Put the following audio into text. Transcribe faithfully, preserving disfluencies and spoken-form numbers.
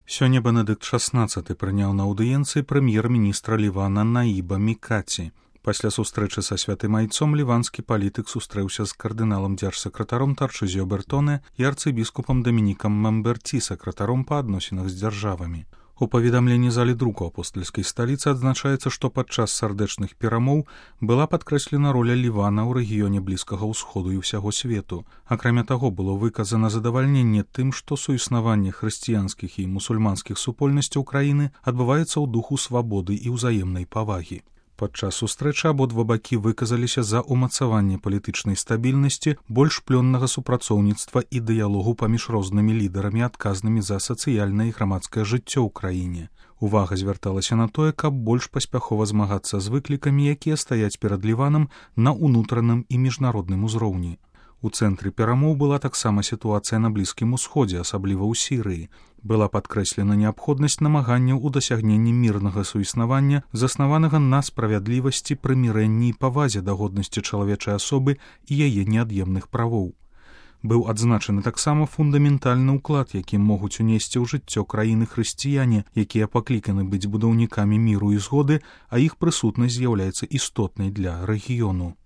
Сёння Бенедыкт шаснаццаты прыняў на аўдыенцыі прэм'ер-міністра Лівана Наіба Мікаці. Пасля сустрэчы са святым айцом ліванскі палітык сустрэўся з кардыналам дзяржсакратаром Тарчызіо Бертоне і арцыбіскупам Дамінікам Мамберці, сакратаром па адносінах з дзяржавамі. У паведамленні залі друку апостальскай сталіцы адзначаецца, што падчас сардэчных перамоў была падкрэслена роля Лівана ў рэгіёне Блізкага ўсходу і ўсяго свету. Акрамя таго, было выказана задавальненне тым, што суіснаванне хрысціянскіх і мусульманскіх супольнасцяў краіны адбываецца ў духу свабоды і ўзаемнай павагі. Падчас сустрэчы абодва бакі выказаліся за ўмацаванне палітычнай стабільнасці, больш плённага супрацоўніцтва і дыялогу паміж рознымі лідарамі, адказнымі за сацыяльнае і грамадскае жыццё ў краіне. Увага звярталася на тое, каб больш паспяхова змагацца з выклікамі, якія стаяць перад Ліванам на ўнутраным і міжнародным узроўні. У цэнтры перамоў была таксама сітуацыя на Блізкім усходзе, асабліва ў Сірыі. Была падкрэслена неабходнасць намаганняў у дасягненні мірнага суіснавання, заснаванага на справядлівасці, прымірэнні і павазе да годнасці чалавечай асобы і яе неад'емных правоў. Быў адзначаны таксама фундаментальны ўклад, які могуць унесці ў жыццё краіны хрысціяне, якія пакліканы быць будаўнікамі міру і згоды, а іх прысутнасць з'яўляецца істотнай для рэгіёну.